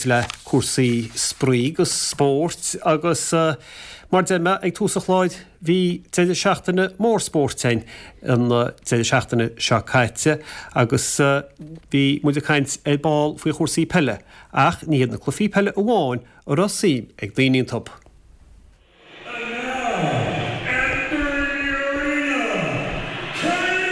baint le cúrsaí spraoi agus spóirt agus mar deir mé ag tús an chláir bhí deireadh seachtaine mór spóirt againn an deireadh seachtaine seo caite agus bhí muid ag caint ar ball faoi chúrsaí peile ach ní hiad na cluichí peile amháin a raibh suim ag daoine iontu. And now, entering the arena, Katie Taylor!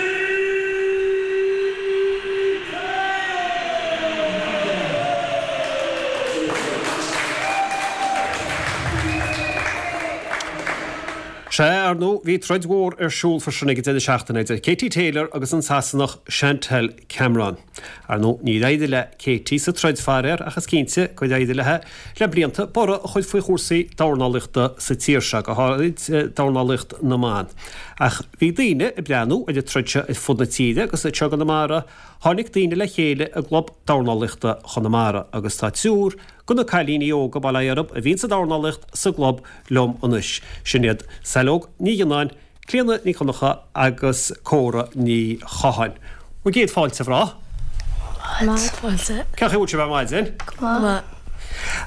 Sea, ar ndóigh, bhí troid mhór ar siúl freisin ag an deireadh seachtaine idir Katie Taylor agus an Sasanach Chantelle Cameron. Ar ndóigh, níor éirigh le Katie sa troid, faraor, ach is cinnte gur éirigh léi le blianta borradh a chur faoi chúrsaí dornálaíochta sa tír seo, go háirid dornálaíocht na mban. Ach bhí daoine ag breathnú ar an troid seo ar fud na tíre agus anseo i gConamara tháinig daoine le chéile i gClub Dornálaíochta Chonamara agus tá triúr de na cailíní óga, bail ó Dhia orthu, a bhíonn sa dornálaíocht sa gclub liom anois. Sin iad Saileog Ní Ghionnáin, Clíona Ní Dhonncha agus Córa Ní Chatháin. Bhur gcéad fáilte, a mhná. Maith. Fáilte. Cén chaoi a bhfuil sibh ar maidin? Go maith.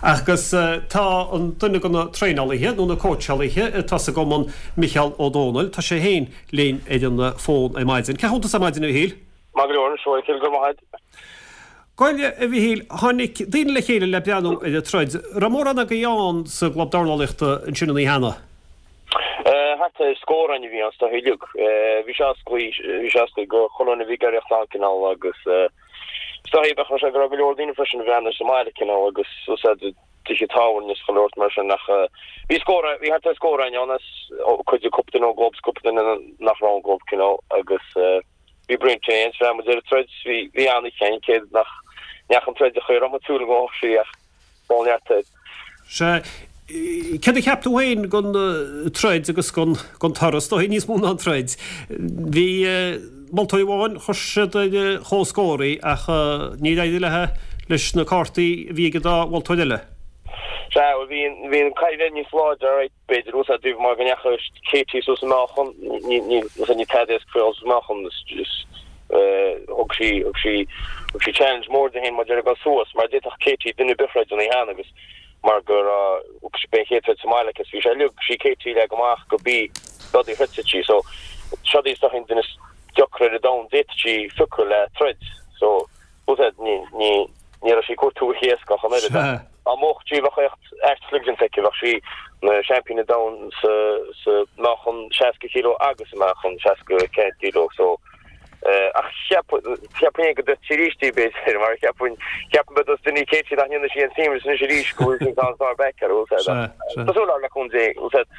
Agus tá an duine de na traenálaithe nó na cóitseálaithe atá sa gcumann, Micheál Ó Dónaill, tá sé féin linn ar an bhfón ar maidin. Cén chaoi a bhfuil tusa ar maidin, a Mhichíl? Maith go leor anois, a Mhichíl, go raibh maith agat. Bhuel, a Mhichíl, tháinig daoine le chéile le breathnú ar an troid. Raibh mórán agaibh ann sa gclub dornálaíochta ansin an oíche cheana? Thart ar scór againn a bhí ann is dóigh uilig. Bhí sé oscailte, bhí sé oscailte do chuile dhuine a bhí ag iarraidh a theacht ann cineál agus is dóigh bheadh sé go raibh go leor daoine freisin a bhreathnaigh sa mbaile cineál agus úsáid tithe tábhairne is chuile shórt mar sin ach bhí scór, bhí thart ar scór againn ann as cuid de cúpla duine ón gclub is cúpla duine nach raibh ón gclub cineál agus bhí braon tae againn is bhreathnaigh muid ar an troid, bhí, bhí an-oíche againn cé nach ndeachaigh an troid an chaoi a raibh muid ag súil go ngabhfadh sí ach Dul neart air. Sea. Céard a cheap tú féin den troid agus den toradh? Is dóigh níos mó ná an troid. Bhí moltóir amháin, chuir siad ar comhscór í ach níor éirigh léi leis na cártaí a bhí ag an dá mholtóir eile. Sea, bhuel bhí an, bhí an cailín níos láidre, alright, b'fhéidir, bhfuil a fhios agat mar go ndeachaigh Katie suas sa meáchan, ní, ní, ní tada éasca faoi dhul sa meáchan, is, is, thug sí, thug sí, thug sí challenge mór di féin maidir le dul suas, mar d'fhéadfadh Katie duine ar bith a throid an oíche cheana agus mar go raibh, b'é an chéad troid sa mbaile aici is bhí sé leag sí Katie le go amach go bí rudaí throidfeadh sí, so seod í is dóigh an duine is deacra ar an domhan d'fhéadfadh sí phiocadh le troid, so bhfuil a fhios agat, ní, ní, ní raibh sí ag cuartú oíche éasca ach an oiread ach dá mbuafadh sí bheadh éacht aisteach déanta aici, bheadh sí ina seaimpín an domhain sa, sa meáchan 60 kilo agus sa meáchan 64 kilo so ach cheap, cheapfainn go dtroidfeadh sí arís í b'fhéidir mar cheapfainn, cheapfainn b'fhéidir dos duine Katie nach ndéanfaidh sí an seamless anois arís go bhfuil sí an sár back ar bhfuil a fhios agat ach tá súil agam le cúnamh Dé, bhfuil a fhios agat,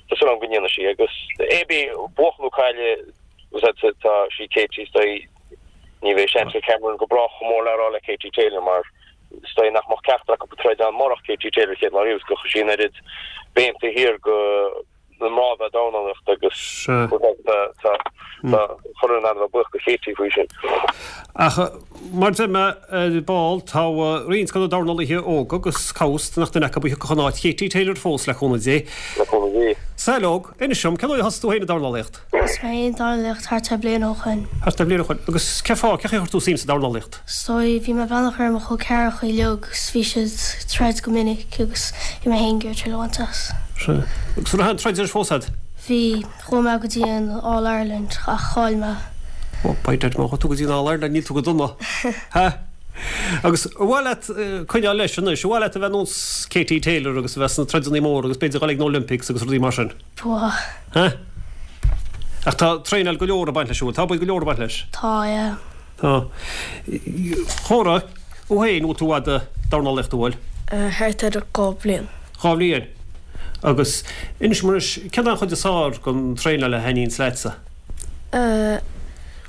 tá súil agam go ndéanfaidh sí agus é bí buachan nó cailleadh bhfuil a fhios agat tá sí Katie is dóigh Ní bheidh Chantelle Cameron go brách chomh mór le rá le Katie Taylor mar is dóigh nach mbeadh ceachtar acu ag troid ann murach Katie Taylor chéad lá riamh is gur chuir sí an oiread béim taobh thiar go na mná a bheith ag dornálaíocht agus tá chuile dhuine in ann a bheith buíoch go Katie faoi sin. Ach mar a deir mé ar ball, tá roinnt de na dornálaithe óga agus cá bhfios nach duine acu a thiocfadh in áit Katie Taylor fós, le cúnamh Dé. Le cúnamh Dé. Saileog, inis dom, cén uair a thosaigh tú féin ag dornálaíocht? Thosaigh mé ag dornálaíocht thart ar bliain ó shoin. Thart ar bliain ó shoin. Agus cén fáth, cén chaoi a chuir tú suim sa dornálaíocht? Is dóigh, bhí mé ag breathnach ar mo chol ceathracha uilig agus bhí siad ag troid go minic agus bhí mé féin ag iarraidh triail a bhaint as. Sea. Agus an raibh aon troid anois fós a'd? Bhí. Chuaigh mé go dtí an All Ireland ach chaill mé. Oh, by dad, má chuaigh tú go dtí an All Ireland níl tú go dona. Ha? Agus ar mhaith leat coinneáil leis anois, ar mhaith leat a bheith nós Katie Taylor agus a bheith sna troideanna móra agus b'fhéidir dhul ag na Olympics agus rudaí mar sin? Ba mhaith. Ha? Ach tá traenáil go leor ag baint leis, an bhfuil? Tá obair go leor ag baint leis? Tá, yeah. Tá. Córa, thú féin, bhfuil tú i bhfad ag dornálaíocht, an bhfuil? Thart ar 2 bhliain. 2 bhliain. Agus inis dom anois, céard é an chuid is fearr den traenáil a thaitníonns leatsa?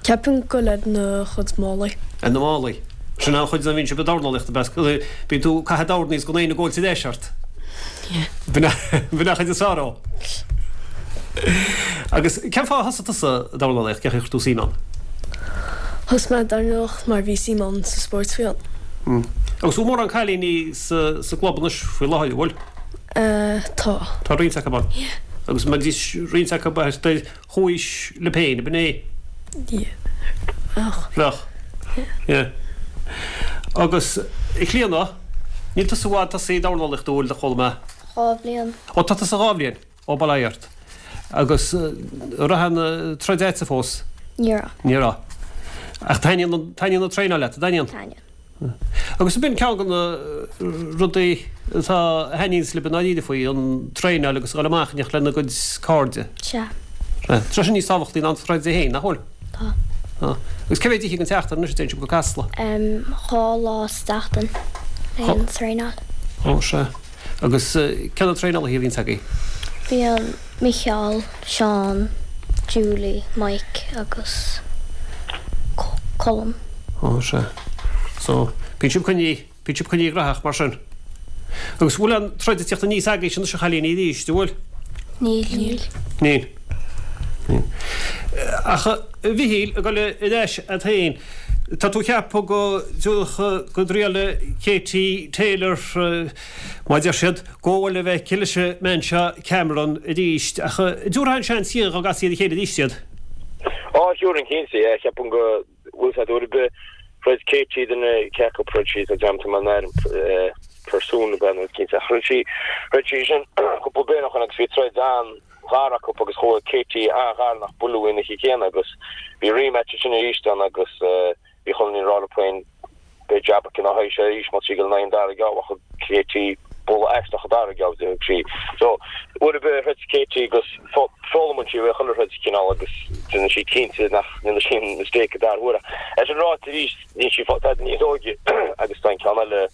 Ceapaim go bhfuil ar na chuid málaí. Ar na málaí. Sin an chuid a bhíonn sibh ag dornálaíocht, ab ea? Bíonn tú ag caitheamh dorn is gan éinne ag góilt ar ais ort. B'in an chuid is fearr dhó. Agus cén fáth a thosaigh tusa ag dornálaíocht? Cén chaoi a chuir tú suim ann? Thosaigh mé ag dornálaíocht mar bhí suim agam sa spórt fiáin. Agus bhfuil mórán cailíní sa gclub anois faoi láthair, an bhfuil? Tá. Tá roinnt acu ann. Agus mbeidís roinnt acu ar chomhaois libh féin, ab in é? Yeah. Bheadh. Bheadh. Yeah. Agus, a Chlíona, Yeah. Níl tusa i bhfad tosaithe ag dornálaíocht an bhfuil, a chuala mé? 2 bhliain. Ó, tá tusa 2 bhliain. Ó, bail ó Dhia ort. Agus an raibh aon troid agatsa fós? Ní raibh. Ní raibh. Ach taitníonn an, taitníonn an traenáil leat, an dtaitníonn? Taitníonn. Agus b'in ceann de na rudaí atá, a thaitníonns libh i ndáiríre faoi, an traenáil agus a dhul amach in éineacht lena gcuid cairde. Sea. Sea. Tá sé sin níos tábhachtaí ná an troid é féin, nach bhfuil? Tá. Tá. Agus cé mhéad oíche den tseachtain anois a dtéann sibh go Casla? 2 lá sa tseachtain le an traenáil. Ó, sea. Agus cé na traenálaithe a bhíonns agaibh? Bíonn Micheál, Seán, Julie, Mike agus Colm. Ó, sea. So, bíonn sibh coinnithe, bíonn sibh coinnithe gnóthach mar sin. Agus bhfuil aon troid ag tíocht aníos agaibhse anois a chailíní arís, an bhfuil? Níl. Níl. Níl. Níl. Ach a Mhichíl, ag dul ar ais agat féin, tá tú ag ceapadh go dtiúrfadh go dtriailfidh Katie Taylor, Mar a deir siad, gabháil a bheith aici leis an mbean seo Cameron arís, ach an dtabharfá aon seans di dá gcasfaí ar a chéile arís iad? Á, thiúrfainn cinnte, yeah. Cheapfainn go bhfuil a fhios agat uair ar bith throid Katie duine cé acu throid sí, tá dearmad orm an ainm Persoon ab ea nó cinnte ach throid sí, throid sí sin cúpla bliain ó shin agus bhí troid an-ghar acu agus chuaigh Katie an-ghar nach buaileadh í an oíche chéanna agus bhí rematch ansin arís ann agus Bhí chuile dhuine ag rá léi féin, beidh jab aici ina haghaidh arís má tá sí ag dul in aghaidh an dara geábh ach thug Katie bualadh aisteach an dara geábh di, thug sí. So, uair ar bith a throid Katie agus foghlaimíonn sí uaidh chuile throid cineál agus déanann sí cinnte nach ndéanann sí an mistake an dara huair. Ach é sin ráite arís, níl sí tada níos óige agus tá an ceann eile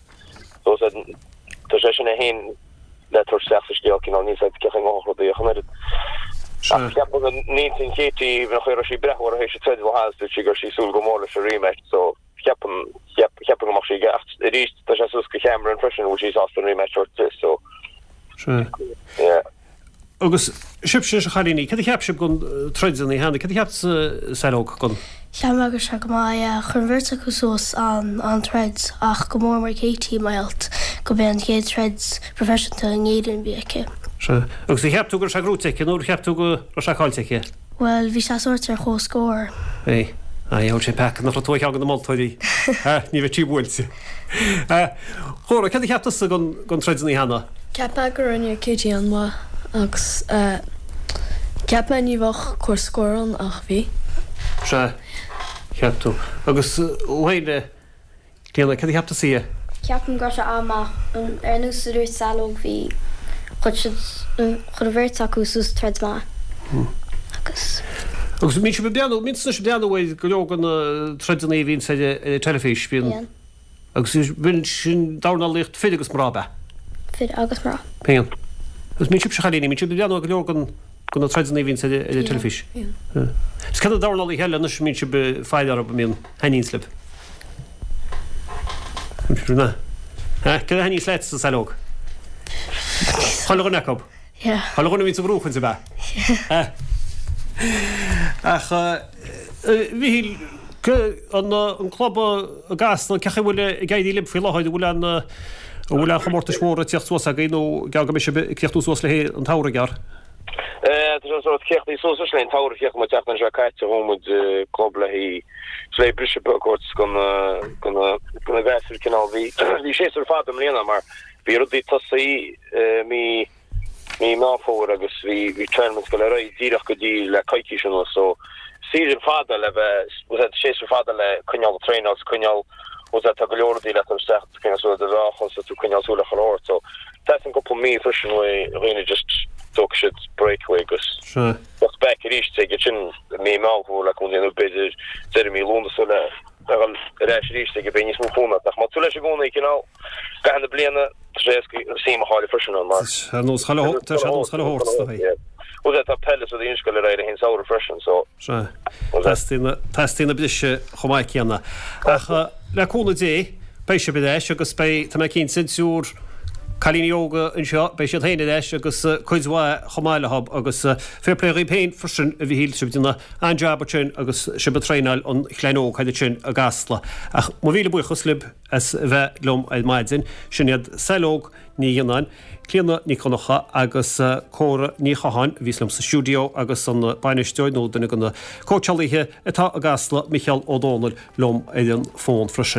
so tá sé sin é féin le tabhairt isteach sa scéal cineál níl a fhios agat cén chaoi a ngabhfadh rudaí ach an oiread. Ach ceapaim go n-intinn Katie an chaoi a raibh sí ag breathnú uirthi théis an troid le Hans dúirt sí go raibh sí ag súil go mór leis an rematch so cheapaim cheapfainn go mbeadh sí ag ach arís tá sé suas go Cameron freisin an bhfuil sí sásta an rematch a thabhairt di so Sea. yeah. Agus sibhse a chailíní, céard a cheap sibh den troid an oíche cheana? Céard a cheap tusa Saileog den. Cheap mé go raibh sé go maith, yeah. Chuir an bheirt acu suas an-troid ach go mór mór Katie, mar gheall go b'é an chéad troid proifisiúnta in Éirinn a bhí aici. Sea. Agus ar cheap tú go raibh sé gnóite aici nó ar cheap tú go raibh sé caillte aici? Bhuel, bhí sé sórt ar chomhscór. Bhí. Aye, thug sé peaca nach raibh tú ar cheann de na moltóirí. Ní bheadh sí buailte. A Chóra, céard a cheap tusa den troid an oíche cheana? Cheap mé go rinne Katie an-mhaith agus cheap mé ní bheadh comhscór ann ach bhí. Sea, cheap tú. Agus thú féin, a Clíona, céard a cheap tusa dhe? Ceapaim go raibh sé an-mhaith. Ar nós a dúirt Saileog bhí, chuir siad, chuir an bheirt acu suas troid maith agus. Agus bíonn sibh ag breathnú, bíonn tusa ag breathnú ar go leor de na troideanna a bhíonns ar an teilifís, bíonn. Bíonn. Agus bíonn sin dornálaíocht fir agus mná, ab ea? Fir agus mná. Bíonn. Agus bíonn sibhse a chailíní, bíonn sibh ag breathnú ar go leor den, de na troideanna a bhíonns ar an teilifís? Bíonn. Is cé na dornálaithe eile anois a mbíonn sibh ag faire orthu, a mbíonn, thaitníonns libh? Céard a thaitníonns leat, a Saileog? Chuile dhuine acu? Yeah. Chuile dhuine a bhíonns ag gnóchaint, ab ea? Yeah. Ach, a Mhichíl, an club i gCasla, cén chaoi a bhfuil ag éirí libh faoi láthair? An bhfuil an, an bhfuil aon chomórtais mhóra ag tíocht suas agaibh nó geall go mbeidh sibh ag críochnú suas le haghaidh an tsamhraidh, gearr? Tá sé sórt críochnaithe suas anois le haghaidh an tsamhraidh, chríochnaigh muid an tseachtain seo caite, chuaigh muid club le haghaidh le haghaidh briseadh beag a thabhairt do na do na do na gasúir cineál. Bhí bhí séasúr fada i mbliana mar bhí rudaí tosaithe mí mí Meán Fómhair agus bhí bhí tournaments ag dul ar aghaidh díreach go dtí le coicís anuas so season fada le bheith séasúr fada le coinneáil ag traenáil is coinneáil tá go leor rudaí le tabhairt isteach coinneáil súil ar do mheáchan so tú coinneáil súil ar chuile shórt so teastaíonn cúpla mí freisin uaidh dhaoine just dtógfaidh siad break uaidh agus teacht back arís ag sin mí Meán Fómhair le cúnamh Dé nó b'fhéidir deireadh mí Lúnasa le a dhul ar ais arís ag beidh níos mó fonn ort ach má tá tú leis i gcónaí cineál i gcaitheamh na bliana tá sé éasca suim a chailleadh freisin ann mar Tá nós chuile tá sé nós chuile shórt is dóigh. Bhuel tá peil is rudaí ag dul ar aghaidh i rith an samhradh freisin so Sea. Teastaíonn, teastaíonn an briseadh chomh maith céanna. Ach le cúnamh Dé, beidh sibh ar ais agus beidh, tá mé cinnte, an triúr cailíní óga anseo, beidh siad féin ar ais agus cuid mhaith chomh maith leo agus fair play dhaoibh féin freisin a Mhichíl, sibh ag déanamh an-jab ansin agus sibh ag traenáil an chlann óg thall ansin i gCasla. Ach mo mhíle buíochas libh as a bheith liom ar maidin. Sin iad Saileog Ní Ghionnáin, Clíona Nic Dhonncha agus Córa Ní Chatháin a bhíos liom sa stiúideo agus an bainisteoir nó duine de na cóitseálaithe atá i gCasla, Micheál Ó Dónaill, liom ar an bhfón freisin.